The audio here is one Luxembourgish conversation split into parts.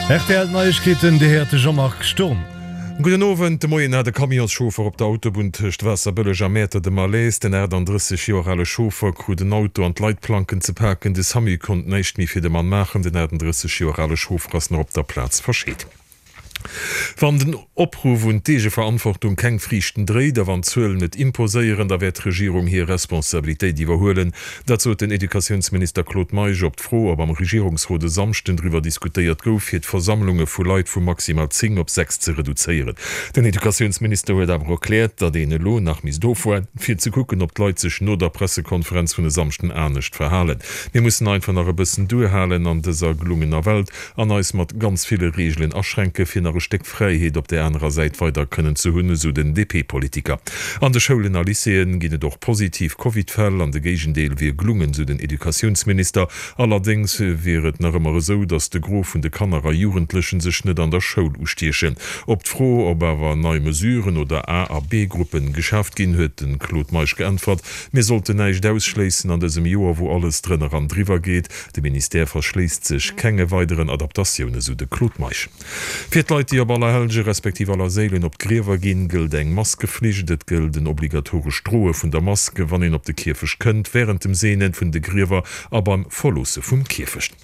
Rtl Neiegkeeten, Dir héiert de Jean-Marc Sturm. Gudden Owend. De Moien hat e Camionschauffer op der Autobunn tëscht Waasserbëlleg a Mäertert e Malaise. Den 38 Joer ale Chauffer krut en Auto an d'Leitplanken ze paken. De Samu konnt näischt méi fir de Mann maachen. Den 38 Joer ale Chauffer ass nach op der Plaz verscheet. Wann den Opruff un d'Eegeverantwortung keng Friichten dréit a wann d'Zuelen et imposéieren, da wäert d'Regierung hir Responsabilitéit iwwerhuelen. Dat sot den Educatiounsminister Claude Meisch op d'Fro, ob am Regierungsrot e Samschden driwwer diskutéiert gouf, fir d'Versammlunge vu Leit vu maximal 10 op 6 ze reduzéieren. Den Educatiounsminister huet awer erkläert, datt een elo nach misst ofwaarden, fir ze kucken, ob d'Leit sech no der Pressekonferenz vun e Samschden anescht verhalen. Mir mussen einfach nach e bëssen duerhalen an dëser gelungener Welt an eis mat ganz ville Reegelen aschränken, fir nach e Stéck Fräiheet op där anerer Säit weider kënnen ze hunn, esou den DP-Politiker. An de Schoulen a Lycéeën ginn et och positiv Covid-Fäll an de Géigendeel wier glungen, esou den Educatiounsminister. Allerdéngs wier et nach ëmmer esou, datt de Gros vun de Kanner a Jugendlechen sech net an der Schoul ustiechen. Op d'Fro, ob awer nei Mesuren oder A a B-Gruppen geschaaft ginn, huet de Claude Meisch geäntwert, Mir sollten näischt ausschléissen an dësem Joer, wou alles drënner an driwwer geet. De Ministère verschléisst sech kenge weideren Adaptatioune, sou de Claude Meisch. Fir d'Leit, déi op Allerhellge respektiv Allerséilen op d'Griewer ginn, gëllt eng Maskeflicht. Et gëllt en obligatorescht Droe vun der Mask, wann een op de Kierfecht kënnt, wärend dem Seene vun de Griewer a beim Verloosse vum Kierfecht.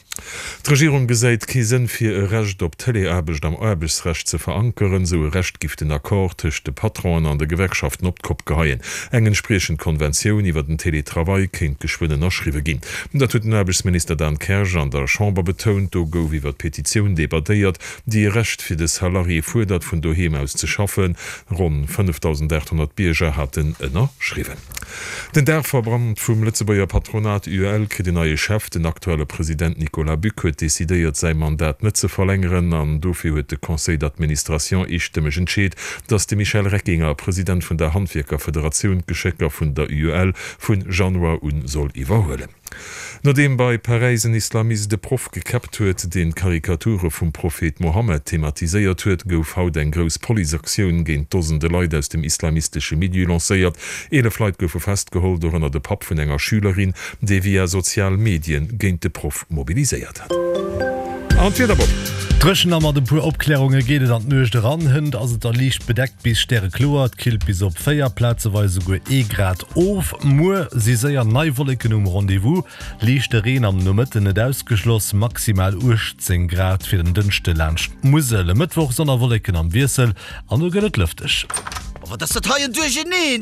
D'Regierung gesäit kee Sënn fir e Recht op Teleaarbecht am Aarbechtsrecht ze verankeren. Sou e Recht giff den Accord tëscht de Patronen an de Gewerkschaften op d'Kopp geheien. Eng entspriechend Konventioun iwwer den Teletravail kéint geschwënn ënnerschriwwe ginn. Dat huet den Aarbechtsminister Dan Kersch an der Chamber betount. Do gouf iwwer d'Petitioun debattéiert, déi e Recht fir de Salarié fuerdert, vun doheem aus ze schaffen. Ronn 5.800 Bierger haten ënnerschriwwen. Den Daachverband vum Lëtzebuerger Patronat UEL kritt en neie Chef. Den aktuelle President Nicolas Buck huet decidéiert, säi Mandat net ze verlängeren an dofir huet de Conseil d'administration eestëmmeg entscheet, datt de Michel Reckinger, President vun der Handwierkerfederatioun, d'Geschécker vun der UEL vun Januar un soll iwwerhuelen. Nodeem bei Paräis en Islamist e Proff gekäppt huet, deen Karikature vum Prophet Mohammed thematiséiert huet, gouf haut eng grouss Policeaktioun géint Dosende Leit aus dem islamistesche Milieu lancéiert. 11 Leit goufe festgeholl, dorënner de Papp vun enger Schülerin, dee via sozial Medien géint de Proff mobiliséiert hat. An d'Wiederbomm. Dréchen a mat e puer Opklärunge geet et an d'Nuecht eran. Hënt ass et da liicht bedeckt bis stärekloer, et killt bis op 4, plazeweis esouguer ee Grad of. Muer si séier nei Wolleken um Rendez-vous, liichte Reen am Nomëtten net ausgeschloss, maximal 18 Grad fir den Dënschde laanscht d'Musel. E Mëttwoch Sonn a Wolleken am Wiessel an do gëtt et lëfteg. Oh, wat ass dat hei en Duercheneen!